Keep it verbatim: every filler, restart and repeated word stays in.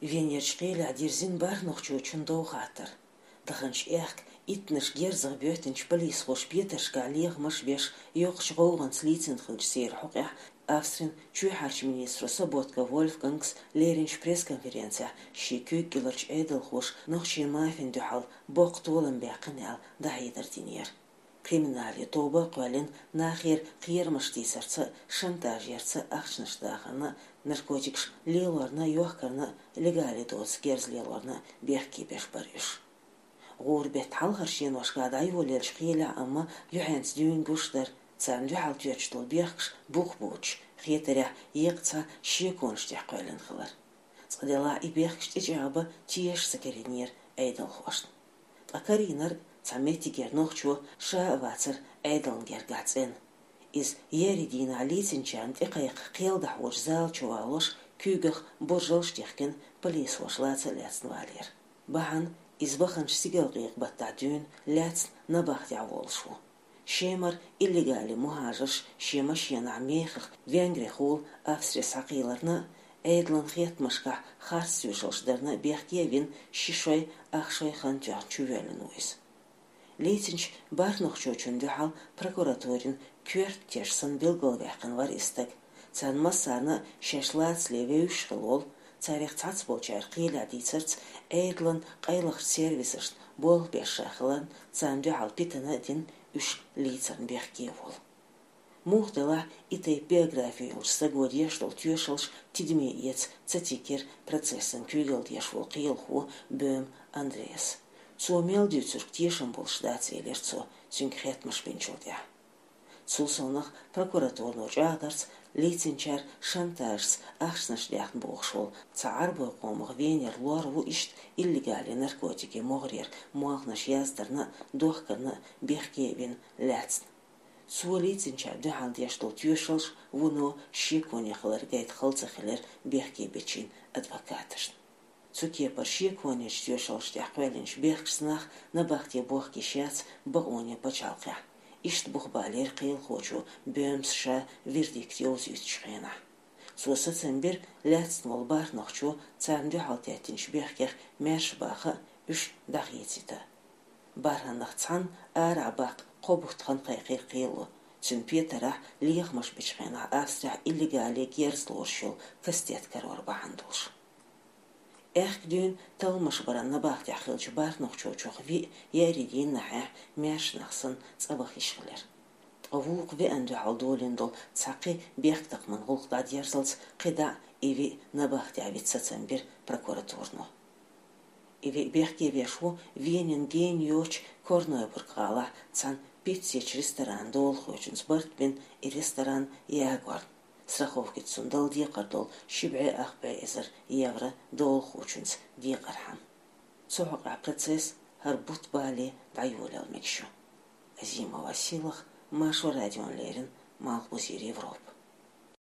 Венерчу кхелехь дирзина бархӀ нохчочун дов хаттар. Даханчу аьхка иттанаш герзах боьттинчу полисхоша петаршкахь лехамаш беш, йоккхачу гӀовгӀанца лийцина хиллачу церан хьокъехь Австрин чоьхьарчу министро Соботка Вольфганга леринчу пресс-конференцехь шен куьйга кӀеларчу Ӏедалхоша нохчийн мафина дуьхьал боккха толам баьккхина аьлла дӀахьедар динера. Криминале тоба а кхоьллина, нахера кхерамаш тийсарца, шантаж ярца, ахчанаш дахарна, наркотикаш лелорна, йохкарна, легале доцу герз лелорна бехке беш бара уьш. ГӀуран беттан хьалхарчу деношкахь дӀайолаеллачу кхелехь амма юьхьанца дуьйна гуш дара, царна дуьхьал тоьттуш долу бехкаш бух боцуш, хетарехь, еккъа цхьа шеконаш тӀехь кхоьллина хилар. Цкъа делахь и бехкаш тӀечӀагӀбан теша ца карийнера Ӏедалхошна. Ткъа карийнарг цхьа меттигера нохчо ша а вацара Ӏедална гергахь цӀена. Иза еарин дийнахь лийцинчарна тӀекхайкха кхел дӀахьочу зала чу валош, куьйгах буржалш дихкина, полисхоша лаца а лаьцна валийра. Бахьана иза баханчу стигалкъекъа-баттахь дуьйна лаьцна набахтехь волуш ву. Шемара иллегале мухӀажарш шен машенахь мехах Венгрехула Австре схьакхийларна, Ӏедалан хеттамашкахь харц тоьшаллаш дарна бехке а вина, ши шой, ах шой хан тоьхна чувоьллина ву иза. Лийцинчу бархӀ нохчочунна дуьхьал прокуратурин коьрта теш санна билгалваьккхина вара и стаг. Царна массарна а шаьш лацале вевзаш хилла волу, царех цхьацболчара кхелехь дийцарца, Ӏедалан къайлахчу сервисашна болх беш ша хиларна, царна дуьхьал питана а дина, уьш лийцарна бехке а волу. Муха делахь, и тайпа биографи йолчу стага деш долу тоьшаллаш тидаме эца ца тигира процессан куьйгалла деш волу кхелахо Бём Андреас. Цо мел дуьйцург тешам болуш дац, элира цо, цуьнга хеттамаш бинчул тӀаьхьа. Цул совнаха прокуратуро чӀагӀдарца, лийцинчара шантажца ахчанаш даьхна бохуш волу цхьа Ӏарбойн къомах Венера лор ву иштта иллегале наркотикийн могӀарера молханаш яздарна а, дохкарна а бехке а вина, лаьцна. Цо лийцинчарна дуьхьал деш долу тоьшаллаш вуно шеконе хилар гайта хала ца хилира бехке бечийн адвокаташна. Цу кепара шеконечу тоьшаллаш тӀехь кхоьллинчу бехкашца нах набахте бохка йиш яц бакъонийн пачхьалкхехь. Иштта бух балийра кхелахочо Бёмс ша вердикт йовзуьйтучу хенахь. Цо сацам бира лаьцна волу бархӀ нохчо царна дуьхьал теттинчу бехкех маьрша баха а, уьш дӀахецийта. БархӀаннах цхьанна арахь баккха кхо бутт хан кхайкхийра кхело, цуьнан петарахь лехамаш бечу хенахь Австрехь иллегале герз лоруш йолу кастет карор бахьана долуш. Аьхка дуьйна талламаш баран набахтехь хиллачу бархӀ нохчочух виъ еарин дийнахьехь маьрша нах санна цӀа ваха йиш хилира. Ткъа вукху веана дуьхьал долийна долу цхьа кхин бехктакхаман гӀуллакх дӀадерзалц кхидӀа а и виъ набахтехь вита сацам бира прокуратуро. И виъ бехке веш ву Венин гена йоцчу Корнойбург гӀалахь цхьана пиццечу ресторанан долахочуьнца барт бина и ресторан ягорна, страховкица цунна дала декхар долу ши бӀе ах бӀе эзар евро долахочуьнца декъархьама. Цу хьокъехь процесс хӀара бутт бале дӀайолаялла мегаш ю. Азимова Сийлаха, Маршо радиона леррина, Малхбузера Европа.